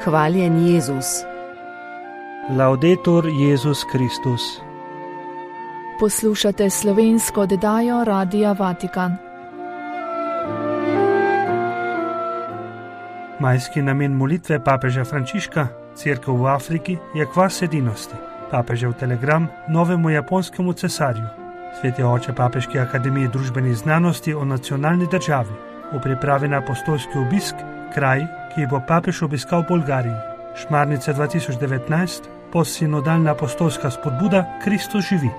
Hvaljen Jezus. Laudetur Jezus Kristus. Poslušate slovensko oddajo Radia Vatikan. Majski namen molitve papeža Frančiška, Cerkev v Afriki, je kvas edinosti. Papežev telegram novemu japonskemu cesarju. Sveti oče Papeške akademije družbenih znanosti o nacionalni državi. V pripravi na apostolski obisk, kraj, ki bo papež obiskal v Bolgariji. Šmarnice 2019, postsinodalna apostolska spodbuda Kristus živi.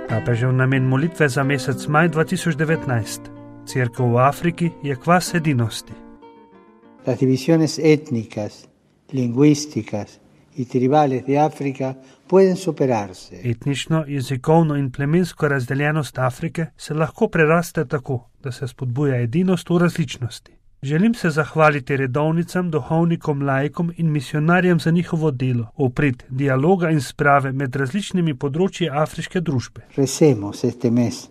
Papežev namen molitve za mesec maj 2019. Cerkev v Afriki je kvas edinosti. Las divisiones étnicas, lingüísticas y tribales de África pueden superarse. Etnično, jezikovno in plemensko razdeljenost Afrike se lahko preraste tako, da se spodbuja edinost v različnosti. Želim se zahvaliti redovnicam, duhovnikom, laikom in misionarjem za njihovo delo, v prid dialoga in sprave med različnimi področji afriške družbe. Recemos este mes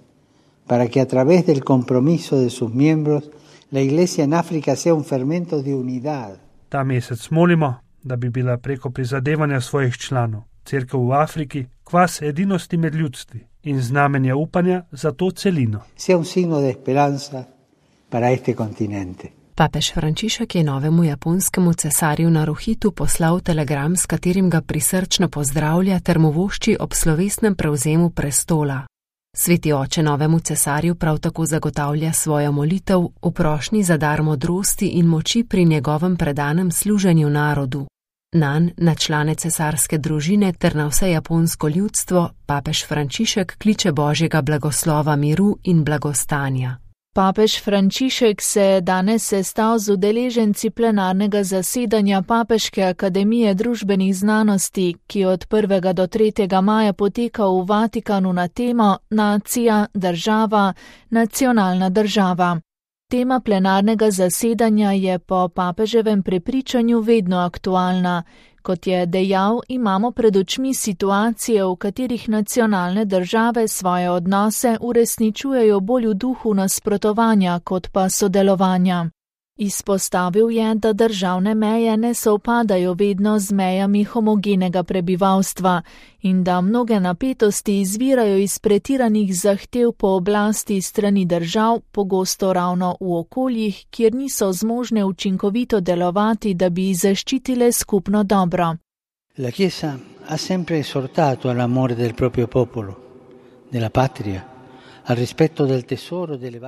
para que a través del compromiso de sus miembros la Iglesia en África sea un fermento de unidad. Ta mesec molimo, da bi bila preko prizadevanja svojih članov Cerkev v Afriki kvas edinosti med ljudstvi in znamenje upanja za to celino. Sea un signo de esperanza para este continente. Papež Frančišek je novemu japonskemu cesarju Naruhitu poslal telegram, s katerim ga prisrčno pozdravlja ter mu vošči ob slovesnem prevzemu prestola. Sveti oče novemu cesarju prav tako zagotavlja svojo molitev v prošnji za dar modrosti in moči pri njegovem predanem služenju narodu. Nanj, na člane cesarske družine ter na vse japonsko ljudstvo, papež Frančišek kliče Božjega blagoslova, miru in blagostanja. Papež Frančišek se je danes sestal z udeleženci plenarnega zasedanja Papeške akademije družbenih znanosti, ki od 1. do 3. maja poteka v Vatikanu na temo Nacija, država, nacionalna država. Tema plenarnega zasedanja je po papeževem prepričanju vedno aktualna. Kot je dejal, imamo pred očmi situacije, v katerih nacionalne države svoje odnose uresničujejo bolj v duhu nasprotovanja kot pa sodelovanja. Izpostavil je, da državne meje ne sovpadajo vedno z mejami homogenega prebivalstva in da mnoge napetosti izvirajo iz pretiranih zahtev po oblasti strani držav, pogosto ravno v okoljih, kjer niso zmožne učinkovito delovati, da bi zaščitile skupno dobro. La Chiesa ha sempre esortato all'amore del proprio popolo, della patria.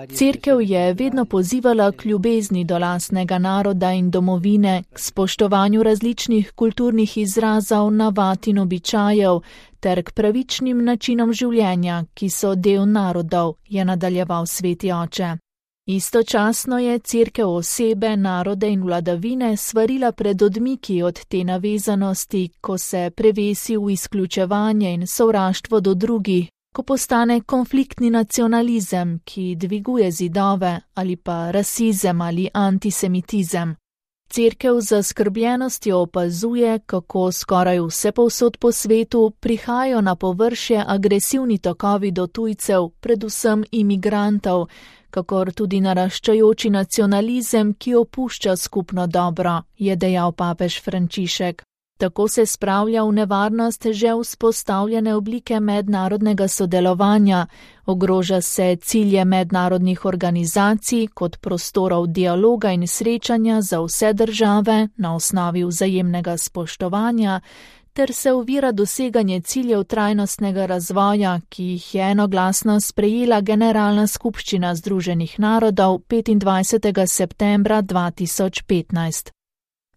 Cerkev je vedno pozivala k ljubezni do lastnega naroda in domovine, k spoštovanju različnih kulturnih izrazov, navad in običajev ter k pravičnim načinom življenja, ki so del narodov, je nadaljeval sveti oče. Istočasno je Cerkev osebe, narode in vladavine svarila pred odmiki od te navezanosti, ko se prevesi v izključevanje in sovraštvo do drugih, ko postane konfliktni nacionalizem, ki dviguje zidove, ali pa rasizem ali antisemitizem. Cerkev z zaskrbljenostjo opazuje, kako skoraj vsepovsod po svetu prihajajo na površje agresivni tokovi do tujcev, predvsem imigrantov, kakor tudi naraščajoči nacionalizem, ki opušča skupno dobro, je dejal papež Frančišek. Tako se spravlja v nevarnost že vzpostavljene oblike mednarodnega sodelovanja, ogroža se cilje mednarodnih organizacij kot prostorov dialoga in srečanja za vse države na osnovi vzajemnega spoštovanja, ter se ovira doseganje ciljev trajnostnega razvoja, ki jih je enoglasno sprejela Generalna skupščina Združenih narodov 25. septembra 2015.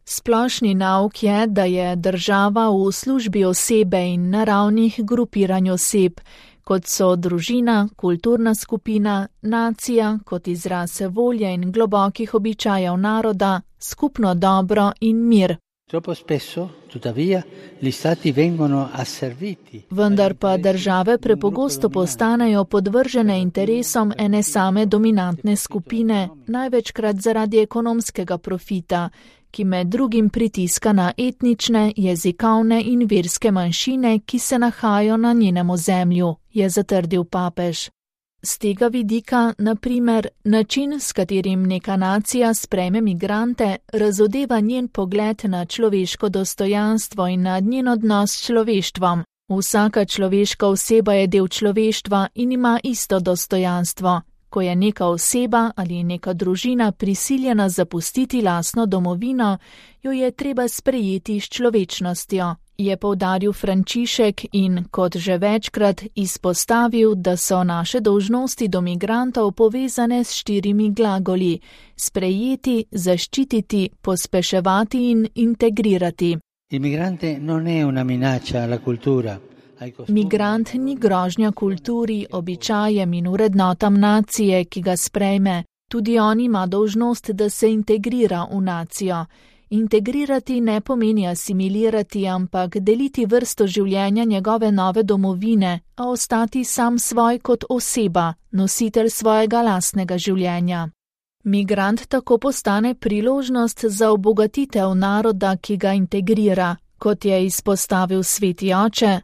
Splošni nauk je, da je država v službi osebe in naravnih grupiranj oseb, kot so družina, kulturna skupina, nacija kot izraz volje in globokih običajev naroda, skupno dobro in mir. Troppo spesso, tuttavia, gli stati vengono asserviti. Vendar pa države prepogosto postanejo podvržene interesom ene same dominantne skupine, največkrat zaradi ekonomskega profita, ki med drugim pritiska na etnične, jezikovne in verske manjšine, ki se nahajajo na njenem ozemlju, je zatrdil papež. Z tega vidika, na primer, način, s katerim neka nacija sprejme migrante, razodeva njen pogled na človeško dostojanstvo in na njen odnos s človeštvom. Vsaka človeška oseba je del človeštva in ima isto dostojanstvo. Ko je neka oseba ali neka družina prisiljena zapustiti lastno domovino, jo je treba sprejeti s človečnostjo, je poudaril Frančišek in, kot že večkrat, izpostavil, da so naše dolžnosti do migrantov povezane s 4 glagoli: sprejeti, zaščititi, pospeševati in integrirati. Migrant ni grožnja kulturi, običajem in vrednotam nacije, ki ga sprejme. Tudi on ima dolžnost, da se integrira v nacijo. Integrirati ne pomeni asimilirati, ampak deliti vrsto življenja njegove nove domovine, a ostati sam svoj kot oseba, nositelj svojega lastnega življenja. Migrant tako postane priložnost za obogatitev naroda, ki ga integrira. Kot je izpostavil Sveti oče,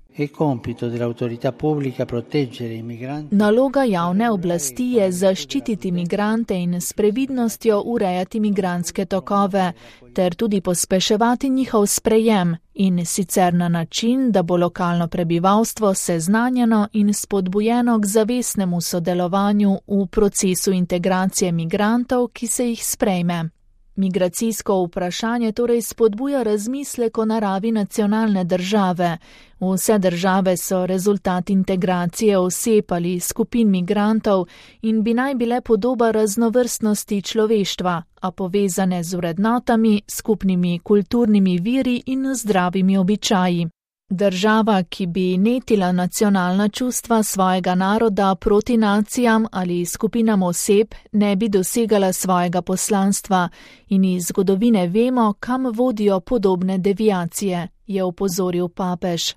naloga javne oblasti je zaščititi migrante in s previdnostjo urejati migrantske tokove, ter tudi pospeševati njihov sprejem, in sicer na način, da bo lokalno prebivalstvo seznanjeno in spodbujeno k zavestnemu sodelovanju v procesu integracije migrantov, ki se jih sprejme. Migracijsko vprašanje torej spodbuja razmislek o naravi nacionalne države. Vse države so rezultat integracije oseb ali skupin migrantov in bi naj bile podoba raznovrstnosti človeštva, a povezane z vrednotami, skupnimi kulturnimi viri in zdravimi običaji. Država, ki bi netila nacionalna čustva svojega naroda proti nacijam ali skupinam oseb, ne bi dosegala svojega poslanstva in iz zgodovine vemo, kam vodijo podobne deviacije, je opozoril papež.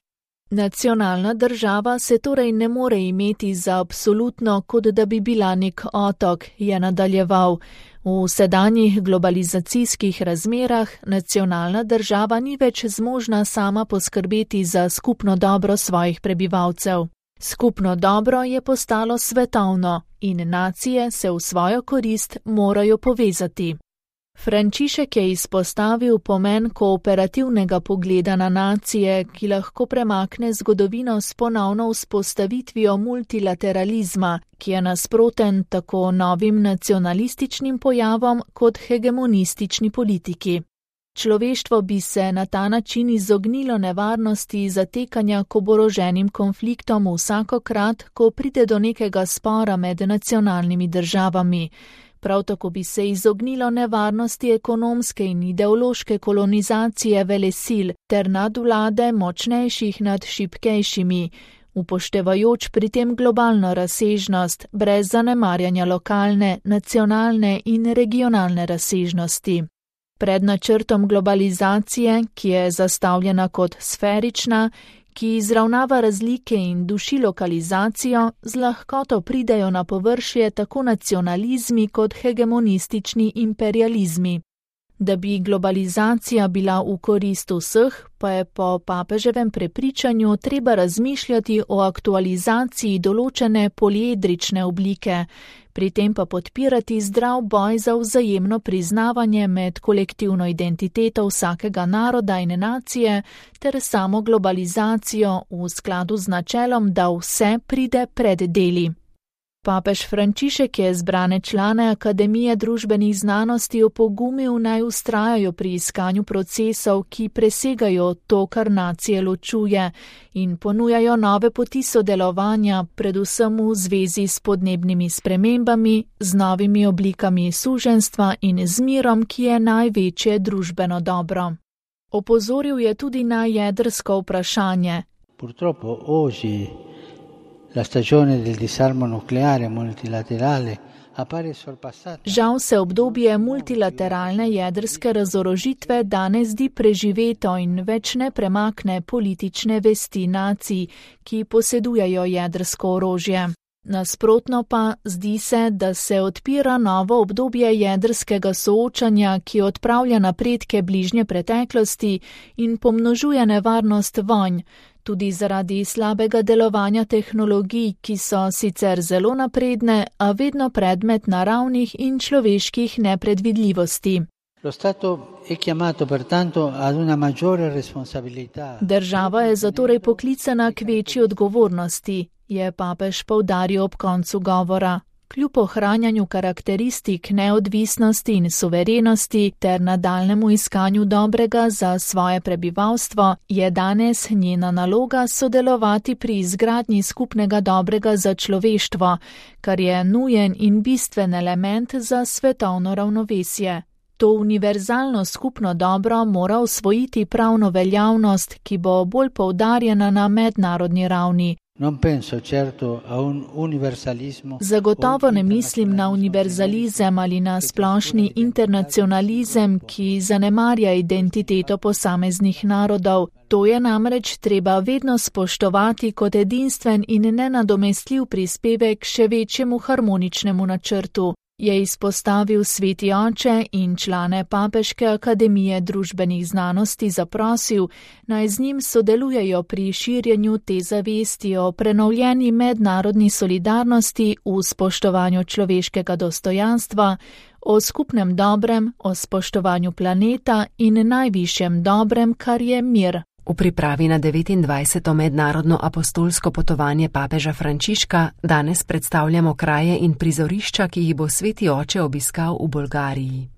Nacionalna država se torej ne more imeti za absolutno, kot da bi bila nek otok, je nadaljeval. V sedanjih globalizacijskih razmerah nacionalna država ni več zmožna sama poskrbeti za skupno dobro svojih prebivalcev. Skupno dobro je postalo svetovno in nacije se v svojo korist morajo povezati. Frančišek je izpostavil pomen kooperativnega pogleda na nacije, ki lahko premakne zgodovino s ponovno vzpostavitvijo multilateralizma, ki je nasproten tako novim nacionalističnim pojavom kot hegemonistični politiki. Človeštvo bi se na ta način izognilo nevarnosti zatekanja k oboroženim konfliktom vsakokrat, ko pride do nekega spora med nacionalnimi državami. Prav tako bi se izognilo nevarnosti ekonomske in ideološke kolonizacije velesil ter nadvlade močnejših nad šibkejšimi, upoštevajoč pri tem globalno razsežnost, brez zanemarjanja lokalne, nacionalne in regionalne razsežnosti. Pred načrtom globalizacije, ki je zastavljena kot sferična, ki izravnava razlike in duši lokalizacijo, z lahkoto pridejo na površje tako nacionalizmi kot hegemonistični imperializmi. Da bi globalizacija bila v korist vseh, pa je po papeževem prepričanju treba razmišljati o aktualizaciji določene poliedrične oblike, pri tem pa podpirati zdrav boj za vzajemno priznavanje med kolektivno identiteto vsakega naroda in nacije ter samo globalizacijo v skladu z načelom, da vse pride pred deli. Papež Frančišek je zbrane člane Akademije družbenih znanosti opogumil, naj vztrajajo pri iskanju procesov, ki presegajo to, kar nacije ločuje, in ponujajo nove poti sodelovanja, predvsem v zvezi s podnebnimi spremembami, z novimi oblikami suženjstva in z mirom, ki je največje družbeno dobro. Opozoril je tudi na jedrsko vprašanje. Purtroppo oggi la stagione del disarmo nucleare multilaterale appare sorpassata. Žal se obdobje multilateralne jedrske razorožitve danes zdi preživeto in več ne premakne politične vesti nacij, ki posedujejo jedrsko orožje. Nasprotno pa zdi se, da se odpira novo obdobje jedrskega soočanja, ki odpravlja napredke bližnje preteklosti in pomnožuje nevarnost vojn, tudi zaradi slabega delovanja tehnologij, ki so sicer zelo napredne, a vedno predmet naravnih in človeških nepredvidljivosti. Država je zatorej poklicana k večji odgovornosti, je papež poudaril ob koncu govora. Kljub ohranjanju karakteristik neodvisnosti in suverenosti ter nadaljnemu iskanju dobrega za svoje prebivalstvo, je danes njena naloga sodelovati pri izgradnji skupnega dobrega za človeštvo, kar je nujen in bistven element za svetovno ravnovesje. To univerzalno skupno dobro mora osvojiti pravno veljavnost, ki bo bolj poudarjena na mednarodni ravni. Zagotovo ne mislim na univerzalizem ali na splošni internacionalizem, ki zanemarja identiteto posameznih narodov. To je namreč treba vedno spoštovati kot edinstven in nenadomestljiv prispevek še večjemu harmoničnemu načrtu, je izpostavil sveti oče in člane Papeške akademije družbenih znanosti zaprosil, naj z njim sodelujejo pri širjenju te zavesti o prenovljeni mednarodni solidarnosti v spoštovanju človeškega dostojanstva, o skupnem dobrem, o spoštovanju planeta in najvišjem dobrem, kar je mir. V pripravi na 29. mednarodno apostolsko potovanje papeža Frančiška danes predstavljamo kraje in prizorišča, ki jih bo sveti oče obiskal v Bolgariji.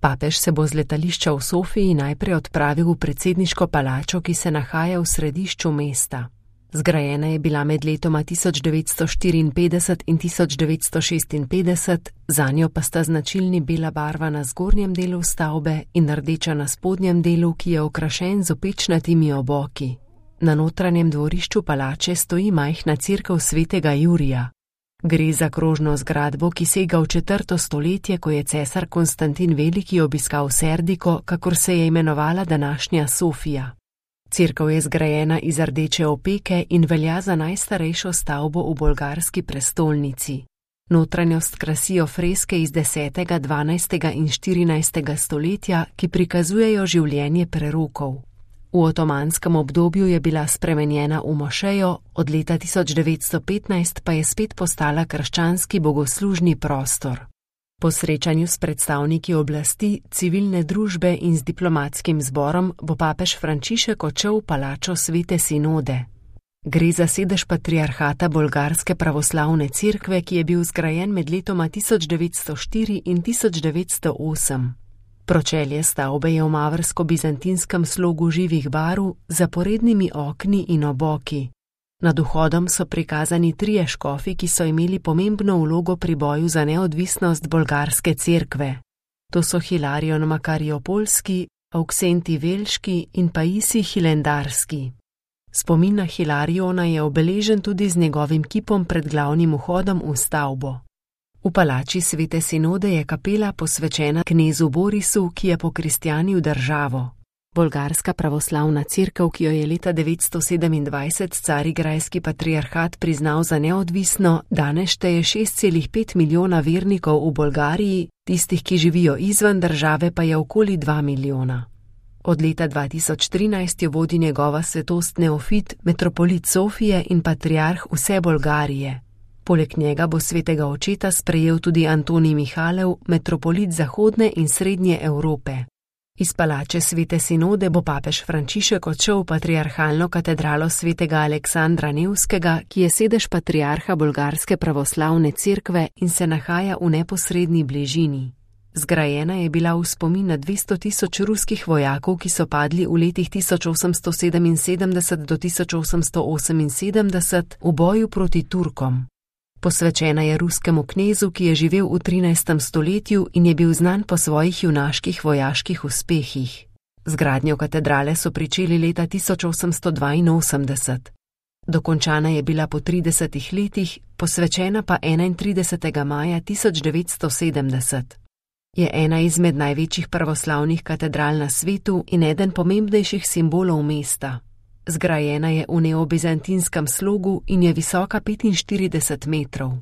Papež se bo z letališča v Sofiji najprej odpravil v predsedniško palačo, ki se nahaja v središču mesta. Zgrajena je bila med letoma 1954 in 1956, zanjo pa sta značilni bela barva na zgornjem delu stavbe in rdeča na spodnjem delu, ki je okrašen z opečnatimi oboki. Na notranjem dvorišču palače stoji majhna cerkev svetega Jurija. Gre za krožno zgradbo, ki sega v 4. stoletje, ko je cesar Konstantin Veliki obiskal Serdiko, kakor se je imenovala današnja Sofija. Cerkev je zgrajena iz rdeče opeke in velja za najstarejšo stavbo v bolgarski prestolnici. Notranjost krasijo freske iz 10., 12. in 14. stoletja, ki prikazujejo življenje prerokov. V otomanskem obdobju je bila spremenjena v mošejo, od leta 1915 pa je spet postala krščanski bogoslužni prostor. Po srečanju s predstavniki oblasti, civilne družbe in z diplomatskim zborom bo papež Frančišek odšel v palačo Svete Sinode. Gre za sedež patriarhata Bolgarske pravoslavne cerkve, ki je bil zgrajen med letoma 1904 in 1908. Pročelje stavbe je v mavrsko-bizantinskem slogu živih barv z zaporednimi okni in oboki. Nad vhodom so prikazani 3 škofi, ki so imeli pomembno vlogo pri boju za neodvisnost bolgarske cerkve. To so Hilarion Makariopolski, Auksenti Velški in Paisi Hilendarski. Spomin na Hilariona je obeležen tudi z njegovim kipom pred glavnim vhodom v stavbo. V palači Svete Sinode je kapela posvečena knezu Borisu, ki je pokristjanil državo. Bolgarska pravoslavna cerkev, ki jo je leta 927 carigrajski patriarhat priznal za neodvisno, danes šteje 6,5 milijona vernikov v Bolgariji, tistih, ki živijo izven države, pa je okoli 2 milijona. Od leta 2013 jo vodi njegova svetost Neofit, metropolit Sofije in patriarh vse Bolgarije. Poleg njega bo svetega očeta sprejel tudi Antonij Mihalev, metropolit zahodne in srednje Evrope. Iz palače Svete Sinode bo papež Frančišek odšel v patriarhalno katedralo svetega Aleksandra Nevskega, ki je sedež patriarha Bolgarske pravoslavne cerkve in se nahaja v neposredni bližini. Zgrajena je bila v spomin na 200.000 ruskih vojakov, ki so padli v letih 1877 do 1878 v boju proti Turkom. Posvečena je ruskemu knezu, ki je živel v 13. stoletju in je bil znan po svojih junaških vojaških uspehih. Zgradnjo katedrale so pričeli leta 1882. Dokončana je bila po 30 letih, posvečena pa 31. maja 1970. Je ena izmed največjih pravoslavnih katedral na svetu in eden pomembnejših simbolov mesta. Zgrajena je v neobizantinskem slogu in je visoka 45 metrov.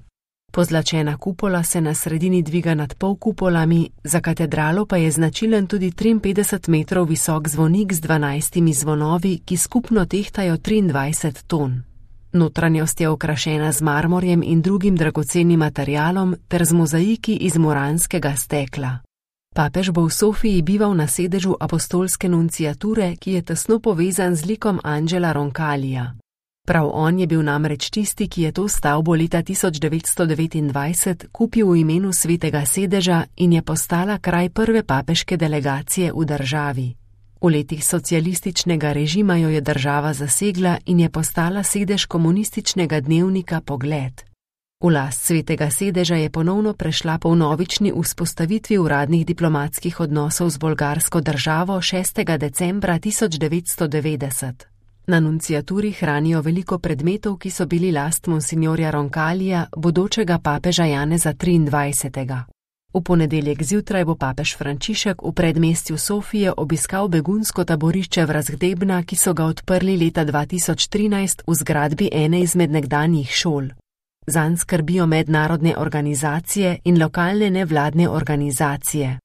Pozlačena kupola se na sredini dviga nad polkupolami, za katedralo pa je značilen tudi 53 metrov visok zvonik z 12 zvonovi, ki skupno tehtajo 23 ton. Notranjost je okrašena z marmorjem in drugim dragocenim materialom ter z mozaiki iz moranskega stekla. Papež bo v Sofiji bival na sedežu apostolske nunciature, ki je tesno povezan z likom Angela Roncalija. Prav on je bil namreč tisti, ki je to stavbo leta 1929 kupil v imenu Svetega sedeža in je postala kraj prve papeške delegacije v državi. V letih socialističnega režima jo je država zasegla in je postala sedež komunističnega dnevnika Pogled. V last Svetega sedeža je ponovno prešla po vnovični vzpostavitvi uradnih diplomatskih odnosov z bolgarsko državo 6. decembra 1990. Na nunciaturi hranijo veliko predmetov, ki so bili last monsignorja Roncalija, bodočega papeža Janeza 23. V ponedeljek zjutraj bo papež Frančišek v predmestju Sofije obiskal begunsko taborišče Vrazgdebna, ki so ga odprli leta 2013 v zgradbi ene izmed nekdanjih šol. Zanj skrbijo mednarodne organizacije in lokalne nevladne organizacije.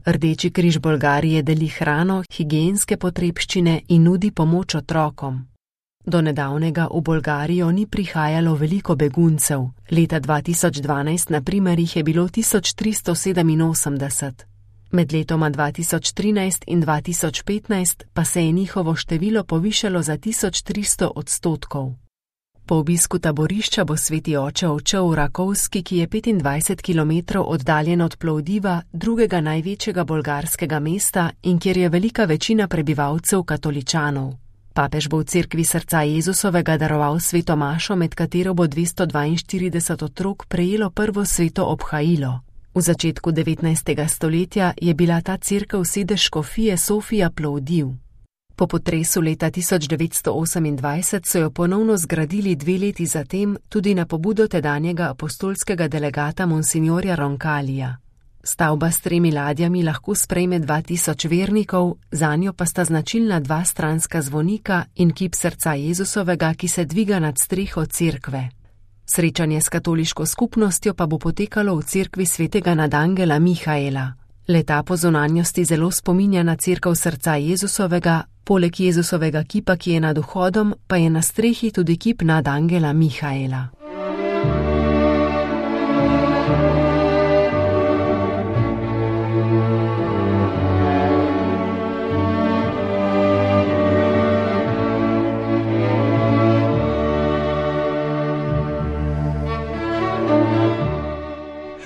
Rdeči križ Bolgarije deli hrano, higienske potrebščine in nudi pomoč otrokom. Do nedavnega v Bolgarijo ni prihajalo veliko beguncev. Leta 2012 na primer jih je bilo 1387. Med letoma 2013 in 2015 pa se je njihovo število povišalo za 1300%. Po obisku taborišča bo sveti oče odšel v Rakovski, ki je 25 km oddaljen od Plovdiva, drugega največjega bolgarskega mesta in kjer je velika večina prebivalcev katoličanov. Papež bo v cerkvi srca Jezusovega daroval sveto mašo, med katero bo 242 otrok prejelo prvo sveto obhajilo. V začetku 19. stoletja je bila ta cerkev sedež škofije Sofija Plovdiv. Po potresu leta 1928 so jo ponovno zgradili 2 leti zatem tudi na pobudo tedanjega apostolskega delegata monsignorja Roncalija. Stavba s 3 ladjami lahko sprejme 2000 vernikov, zanjo pa sta značilna 2 stranska zvonika in kip srca Jezusovega, ki se dviga nad streho cerkve. Srečanje s katoliško skupnostjo pa bo potekalo v cerkvi svetega nadangela Mihaela. Leta po zunanjosti zelo spominja na cerkev srca Jezusovega, poleg Jezusovega kipa, ki je nad vhodom, pa je na strehi tudi kip nadangela Mihaela.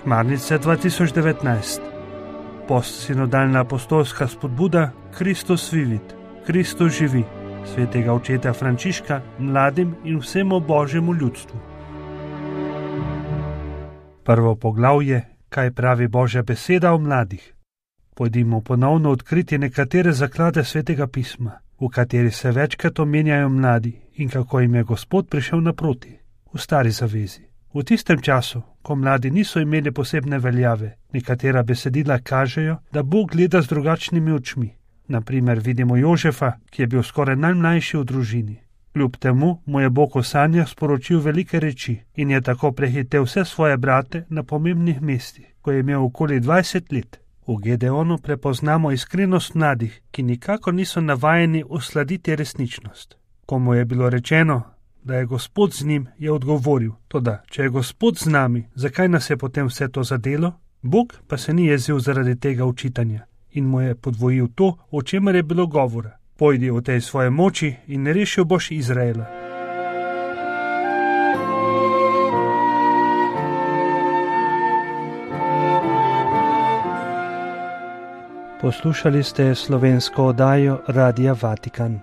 Šmarnice 2019. Postsinodalna apostolska spodbuda Kristus vivit, Kristus živi, svetega očeta Frančiška mladim in vsemu božjemu ljudstvu. Prvo poglavje, kaj pravi Božja beseda o mladih. Pojdimo ponovno odkriti nekatere zaklade svetega pisma, v kateri se večkrat omenjajo mladi in kako jim je Gospod prišel naproti, v stari zavezi. V tistem času, ko mladi niso imeli posebne veljave, nekatera besedila kažejo, da Bog gleda z drugačnimi očmi. Naprimer vidimo Jožefa, ki je bil skoraj najmlajši v družini. Kljub temu mu je Bog v sanjah sporočil velike reči in je tako prehitel vse svoje brate na pomembnih mestih, ko je imel okoli 20 let. V Gedeonu prepoznamo iskrenost mladih, ki nikakor niso navajeni usladiti resničnost. Ko mu je bilo rečeno, da je Gospod z njim, je odgovoril: toda, če je Gospod z nami, zakaj nas je potem vse to zadelo? Bog pa se ni jezil zaradi tega učitanja in mu je podvojil to, o čemer je bilo govora. Pojdi v tej svoje moči in rešil boš Izraela. Poslušali ste slovensko oddajo Radia Vatikan.